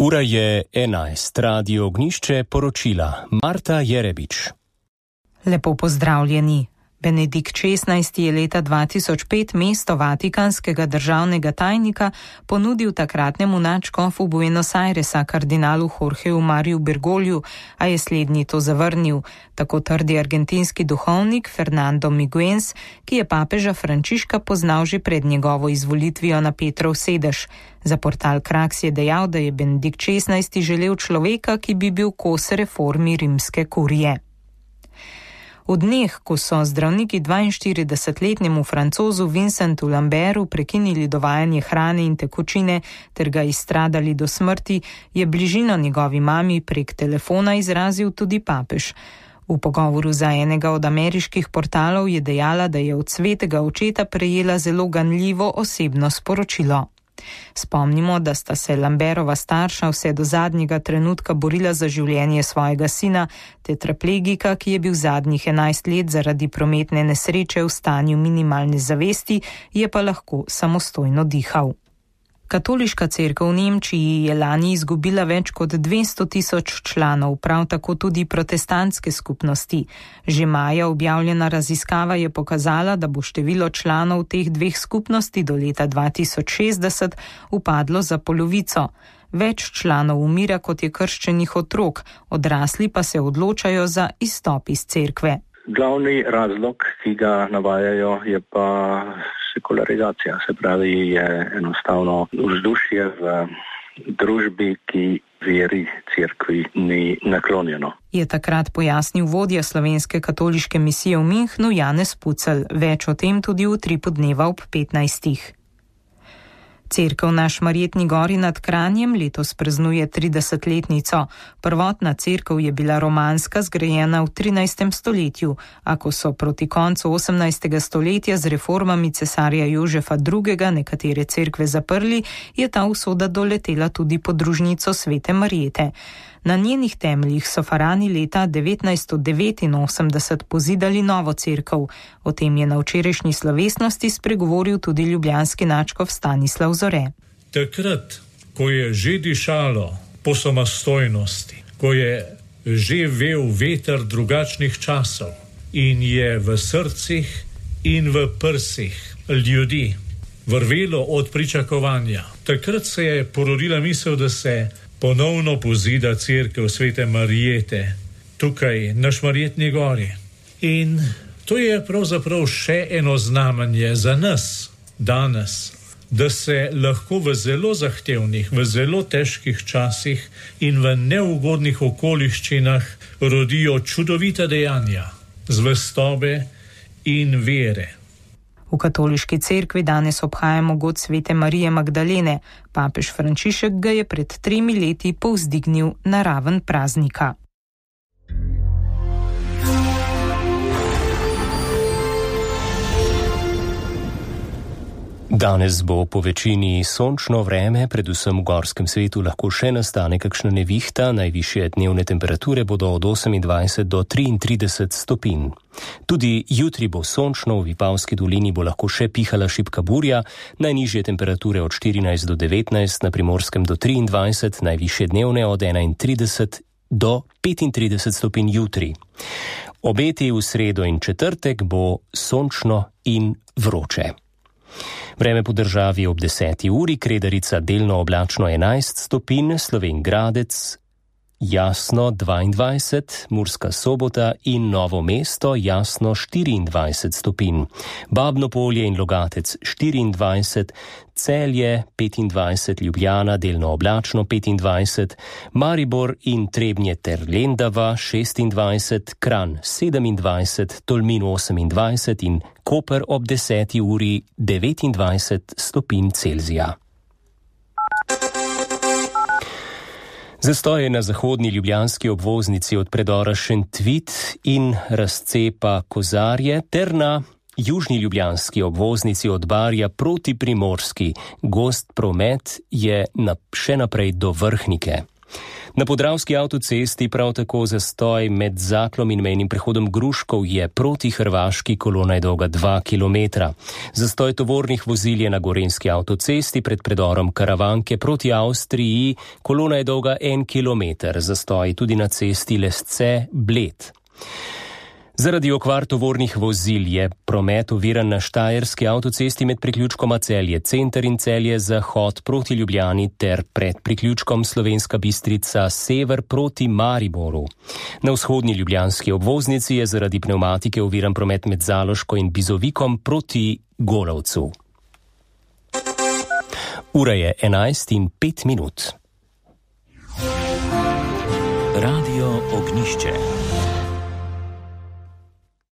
Ura je 11, Radio Ognišče poročila Marta Jerebič. Lepo pozdravljeni. Benedikt XVI je leta 2005 mesto vatikanskega državnega tajnika ponudil takratnemu nadškofu Buenos Airesa kardinalu Jorgeu Mariju Bergogliju, a je slednji to zavrnil, tako trdi argentinski duhovnik Fernando Miguens, ki je papeža Frančiška poznal že pred njegovo izvolitvijo na Petrov sedež. Za portal Kraks je dejal, da je Benedikt XVI želel človeka, ki bi bil kos reformi rimske kurije. V dneh, ko so zdravniki 42-letnemu Francozu Vincentu Lambertu prekinili dovajanje hrane in tekočine ter ga izstradali do smrti, je bližino njegovi mami prek telefona izrazil tudi papež. V pogovoru za enega od ameriških portalov je dejala, da je od svetega očeta prejela zelo ganljivo osebno sporočilo. Spomnimo, da sta se Lambertova starša vse do zadnjega trenutka borila za življenje svojega sina, tetraplegika, ki je bil zadnjih 11 let zaradi prometne nesreče v stanju minimalne zavesti, je pa lahko samostojno dihal. Katoliška cerkev v Nemčiji je lani izgubila več kot 200.000 članov, prav tako tudi protestantske skupnosti. Že maja objavljena raziskava je pokazala, da bo število članov teh dveh skupnosti do leta 2060 upadlo za polovico. Več članov umira, kot je krščenih otrok, odrasli pa se odločajo za izstop iz cerkve. Glavni razlog, ki ga navajajo, je pa sekularizacija, se pravi, je enostavno vzdušje v družbi, ki veri cerkvi ni naklonjeno. Je takrat pojasnil vodja slovenske katoliške misije v Münchnu Janez Pucelj. Več o tem tudi v Utripu dneva ob 15. Cerkev na Šmarjetni gori nad Kranjem letos praznuje 30-letnico. Prvotna cerkev je bila romanska, zgrajena v 13. stoletju, a ko so proti koncu 18. stoletja z reformami cesarja Jožefa II. Nekatere cerkve zaprli, je ta usoda doletela tudi podružnico Svete Marjete. Na njenih temeljih so farani leta 1989 pozidali novo cerkev. O tem je na včerajšnji slovesnosti spregovoril tudi ljubljanski nadškof Stanislav Zore. Takrat, ko je že dišalo po samostojnosti, ko je že vel veter drugačnih časov in je v srcih in v prsih ljudi vrvelo od pričakovanja, takrat se je porodila misel, da se ponovno pozida cerkev Svete Marjete tukaj na Šmarjetni gori. In to je pravzaprav še eno znamenje za nas danes, da se lahko v zelo zahtevnih, v zelo težkih časih in v neugodnih okoliščinah rodijo čudovita dejanja zvestobe in vere. V katoliški cerkvi danes obhajamo god Svete Marije Magdalene. Papež Frančišek ga je pred 3 leti povzdignil na raven praznika. Danes bo po večini sončno vreme, predvsem v gorskem svetu lahko še nastane kakšna nevihta, najvišje dnevne temperature bodo od 28 do 33 stopinj. Tudi jutri bo sončno, v Vipavski dolini bo lahko še pihala šibka burja, najnižje temperature od 14 do 19, na Primorskem do 23, najvišje dnevne od 31 do 35 stopinj jutri. Obeti v sredo in četrtek bo sončno in vroče. Vreme po državi ob 10. uri, Kredarica delno oblačno 11 stopinj, Slovenj Gradec jasno 22, Murska Sobota in Novo mesto jasno 24 stopinj, Babno Polje in Logatec 24, Celje 25, Ljubljana delno oblačno 25, Maribor in Trebnje ter Lendava 26, Kranj 27, Tolmin 28 in Koper ob 10. uri 29 stopinj Celzija. Zastoj je na zahodni ljubljanski obvoznici od predora Šentvid in razcepa Kozarje ter na južni ljubljanski obvoznici od Barja proti Primorski. Gost promet je še naprej do Vrhnike. Na podravski avtocesti prav tako zastoj med Zaklom in mejnim prehodom Gruškov je proti Hrvaški, kolona je dolga 2 kilometra. Zastoj tovornih vozil je na gorenjski avtocesti pred predorom Karavanke proti Avstriji, kolona je dolga 1 kilometer, zastoj tudi na cesti Lesce-Bled. Zaradi okvar tovornih vozil je promet oviran na štajerski avtocesti med priključkoma Celje center in Celje zahod proti Ljubljani ter pred priključkom Slovenska Bistrica sever proti Mariboru. Na vzhodni ljubljanski obvoznici je zaradi pnevmatike oviran promet med Zaloško in Bizovikom proti Golovcu. Ura je 11:05. Radio Ognjišče.